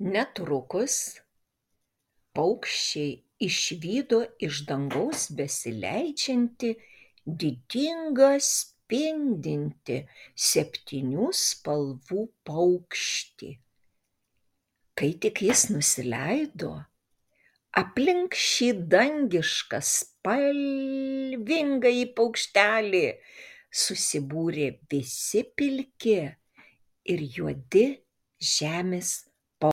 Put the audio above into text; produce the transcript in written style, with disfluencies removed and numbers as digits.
Netrukus paukščiai išvydo iš dangaus besileidžiantį didingą spindintį 7 spalvų paukštį. Kai tik jis nusileido, aplink šį dangišką spalvingąjį paukštelį susibūrė visi pilki ir juodi žemės